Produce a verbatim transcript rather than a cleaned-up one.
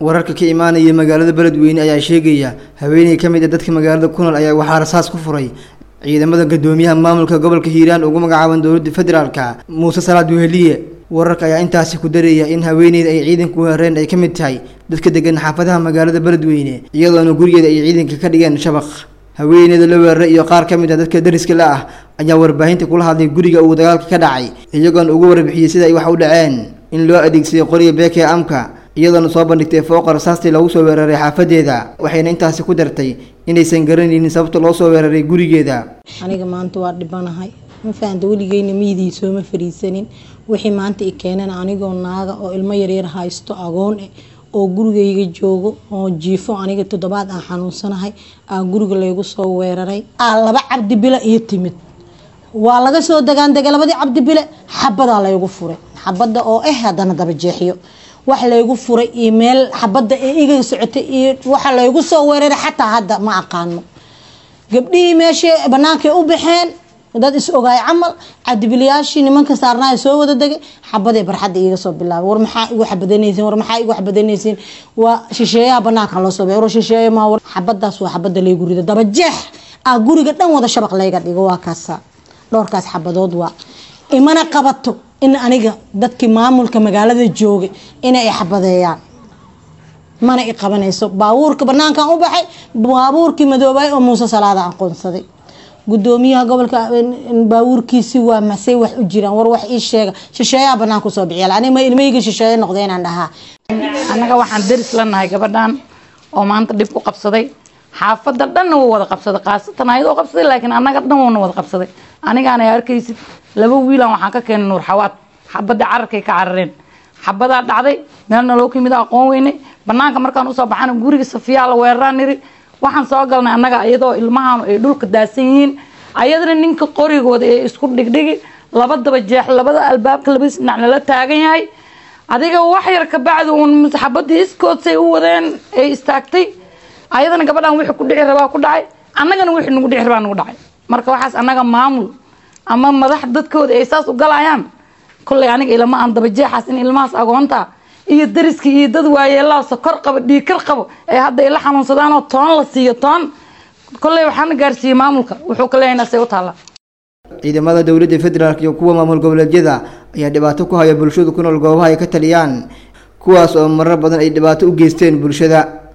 Wararka ka imaanaya magaalada Beledweyne ayaa sheegaya haweeney ka mid ah dadka magaalada ku nool ayaa waxaa rasaas ku furay ciidamada guddoomiyaha maamulka gobolka Hiiraan ugu magacaaban dowladda federaalka Muuse Salaad Weheliye. Wararka ayaa intaasi ku daraya in haweeneyda ay ciidanku weerareen ay ka mid tahay dadka degan xaafadaha magaalada Beledweyne, iyadoona gurigeeda ay ciidanka ka dhigeen shabaq. Haweeneyda la weeraray iyo qaar ka mid ah dadka dariska la ah ayaa warbaahinta kula hadlay guriga uu dagaalka ka dhacay, iyagoona ugu warbixiyey sida ay wax u dhaceen, in loo adeegsaday qoriga beeka ee amka, iyadoona soo bandhigtay fooqa rasaastii lagu soo weeraray xaafadeeda. Waxayna intaasi ku dartay inaysan garanaynin sababta loo soo weeraray gurigeeda. Aniga maanta waa dhibanahay, ma fahamta? Weligeyna miyidii sooma fariisanin. Wixii maanta i keeneen, anigoo naaga oo ilmo yaryar haysto, agoon eh, oo gurigayga joogo oo jiifo, aniga toddobaad aan xanuunsanahay, aa guriga laygu soo weeraray. Aa laba Cabdi Bile iyo timid, waa laga soo dagaandegay labadii Cabdi Bile, xabadaa laygu furay, xabada oo eh haddana daba jeexyo wax laygu furay iyo meel xabada ee iga socotay iyo waxa laygu soo weeraray xataa hadda ma aqaano. Gabdhihii meesha banaankay u baxeen, dad is ogaay camal, cabdibiliyaashii nimanka saarnaa soo wada degay, xabaday barxadda iiga soo bilaabay. War maxaa igu xabadanaysiin? War maxaa igu xabadanaysiin? Waa shisheeyaha banaanka loo soo baxay. War shisheeye ma war? Xabadaas waa xabada laygu rido, daba jeex aa guriga dhan wada shabaq layga dhigo. Waa kaasa dhowrkaas xabadood waa imana qabato in aniga dadkii maamulka magaalada joogay inay xabadeeyaan, mana i qabanayso. Baabuurka banaankan u baxay, baabuurkii madoobay oo Muuse Salaada aqoonsaday, gudoomiyaha gobolka baabuurkiisi waa masey wax u jiraan. War wax ii sheega, shisheeyaha banaanka usoo bixiya, aniga ma ilmahayga shisheeye noqday inaan dhahaa? Annaga waxaan deris la nahay gabadhan oo maanta dhib ku qabsaday. Xaafadda dhanna wuu wada qabsaday, khaasatan ayadoo qabsaday, laakiin annaga dhan wuuna wada qabsaday. Anigaana arkaysid, laba wiilan waxaan ka keenay Nuur Xawaad. Xabadda cararkay ka carareen, xabadaa dhacday, meelna loo ka yimid aqoon weynay. Banaanka markaan usoo baxana, guriga Safiyaa la weeraraan niri. Waxaan soo galnay annaga iyadoo ilmahan ay dhulka daadsan yihiin, ayadana ninka qorigooda ee isku dhigdhigi, laba daba jeex, labada albaabka labadiis dhinac nala taagan yahay. Adiga wax yar ka bacdi uun xabadii iskoodsay u wadeen ay istaagtay. Ayadana gabadhan wixii ku dhici rabaa ku dhacay, annagana wixii nagu dhici rabaa nagu dhacay. Marka waxaas annaga maamul ama madax dadkooda ay saas u galayaan, kolley aniga ilama aan dabajeexaas in ilmahaas agoonta iyo dariska iyo dad waayeelaa sokor qabo, dhiigkar qabo, ay hadda ila xanuunsadaan oo toon la siiyo toon. Kolley waxaana gaarsiiyey maamulka wuxuu ka leeyahay say u taallaa. Ciidamada dowladda federaalk iyo kuwa maamul goboleedyada ayaa dhibaato ku haya bulshada ku nool goobaha ay ka taliyaan, kuwaas oo marar badan ay dhibaato u geysteen bulshada.